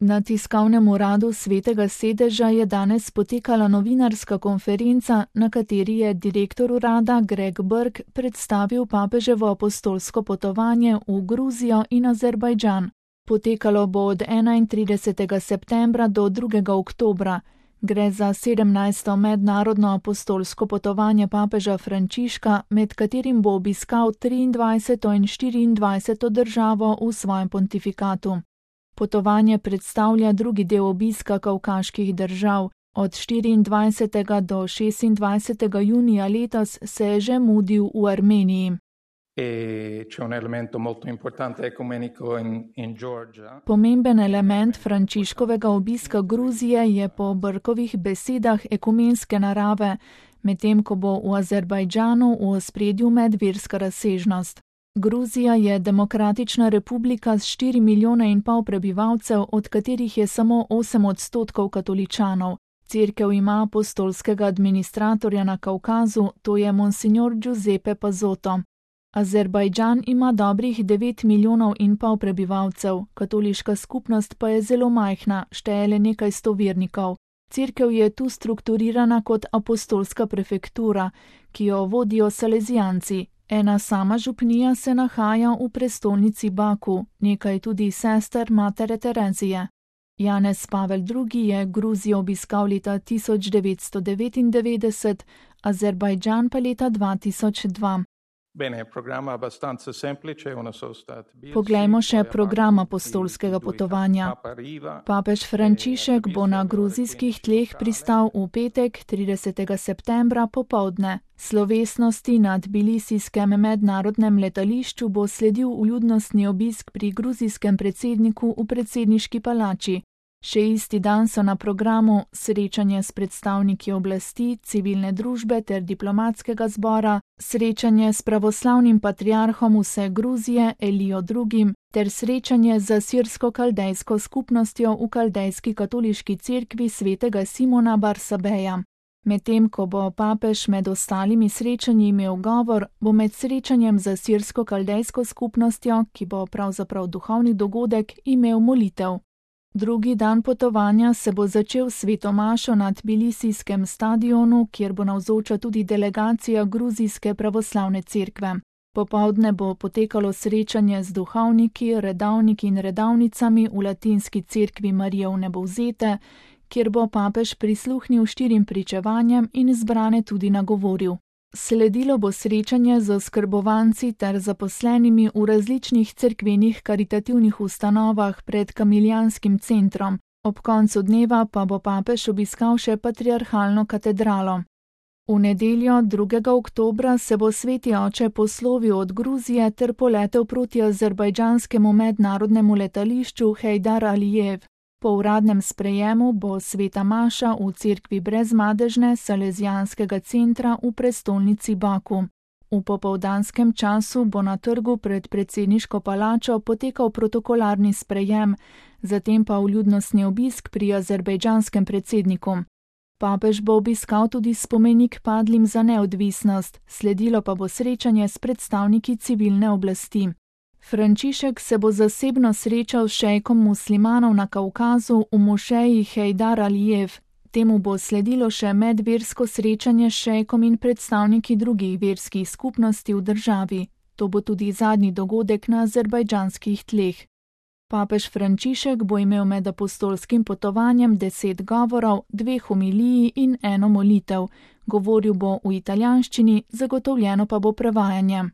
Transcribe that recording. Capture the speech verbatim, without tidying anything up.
Na tiskovnem uradu Svetega sedeža je danes potekala novinarska konferenca, na kateri je direktor urada Greg Burke predstavil papeževo apostolsko potovanje v Gruzijo in Azerbajdžan. Potekalo bo od enaintridesetega septembra do drugega oktobra. Gre za sedemnajsto mednarodno apostolsko potovanje papeža Frančiška, med katerim bo obiskal triindvajseto in štiriindvajseto državo v svojem pontifikatu. Potovanje predstavlja drugi del obiska kavkaških držav. Od štiriindvajsetega do šestindvajsetega junija letos se je že mudil v Armeniji. Pomemben element Frančiškovega obiska Gruzije je po Burkovih besedah ekumenske narave, medtem ko bo v Azerbajdžanu v ospredju medverska razsežnost. Gruzija je demokratična republika s štiri milijone in pol prebivalcev, od katerih je samo osem odstotkov katoličanov. Cerkev ima apostolskega administratorja na Kavkazu, to je monsignor Giuseppe Pazotto. Azerbajdžan ima dobrih devet milijonov in pol prebivalcev, katoliška skupnost pa je zelo majhna, šteje le nekaj sto vernikov. Cerkev je tu strukturirana kot apostolska prefektura, ki jo vodijo salezijanci. Ena sama župnija se nahaja v prestolnici Baku, nekaj tudi sester matere Terezije. Janez Pavel drugi. je Gruzijo obiskal leta tisoč devetsto devetindevetdeset, Azerbajdžan pa leta dva tisoč dva. Poglejmo še program apostolskega potovanja. Papež Frančišek bo na gruzijskih tleh pristal v petek, tridesetega septembra popoldne. Slovesnosti na tbilisijskem mednarodnem letališču bo sledil vljudnostni obisk pri gruzijskem predsedniku v predsedniški palači. Še isti dan so na programu srečanje s predstavniki oblasti, civilne družbe ter diplomatskega zbora, srečanje s pravoslavnim patriarhom vse Gruzije Elijo drugim ter srečanje z sirsko-kaldejsko skupnostjo v Kaldejski katoliški cerkvi svetega Simona Barsabeja. Medtem ko bo papež med ostalimi srečanji imel govor, bo med srečanjem z sirsko-kaldejsko skupnostjo, ki bo pravzaprav duhovni dogodek, imel molitev. Drugi dan potovanja se bo začel s sveto mašo na tbilisijskem stadionu, kjer bo navzoča tudi delegacija gruzijske pravoslavne cerkve. Popoldne bo potekalo srečanje z duhovniki, redavniki in redavnicami v latinski cerkvi Marije Vnebovzete, kjer bo papež prisluhnil štirim pričevanjem in zbrane tudi nagovoril. Sledilo bo srečanje z oskrbovanci ter zaposlenimi v različnih cerkvenih karitativnih ustanovah pred Kamiljanskim centrom. Ob koncu dneva pa bo papež obiskal še patriarhalno katedralo. V nedeljo, drugega oktobra, se bo sveti oče poslovil od Gruzije ter poletel proti azerbajdžanskemu mednarodnemu letališču Heydar Alijev. Po uradnem sprejemu bo sveta maša v cerkvi brezmadežne salezijanskega centra v prestolnici Baku. V popoldanskem času bo na trgu pred predsedniško palačo potekal protokolarni sprejem, zatem pa vljudnostni obisk pri azerbajdžanskem predsedniku. Papež bo obiskal tudi spomenik padlim za neodvisnost, sledilo pa bo srečanje s predstavniki civilne oblasti. Frančišek se bo zasebno srečal s šejkom muslimanov na Kavkazu v mošeji Heydar Alijev. Temu bo sledilo še medversko srečanje s šejkom in predstavniki drugih verskih skupnosti v državi. To bo tudi zadnji dogodek na azerbajdžanskih tleh. Papež Frančišek bo imel med apostolskim potovanjem deset govorov, dve homiliji in eno molitev. Govoril bo v italijanščini, zagotovljeno pa bo prevajanje.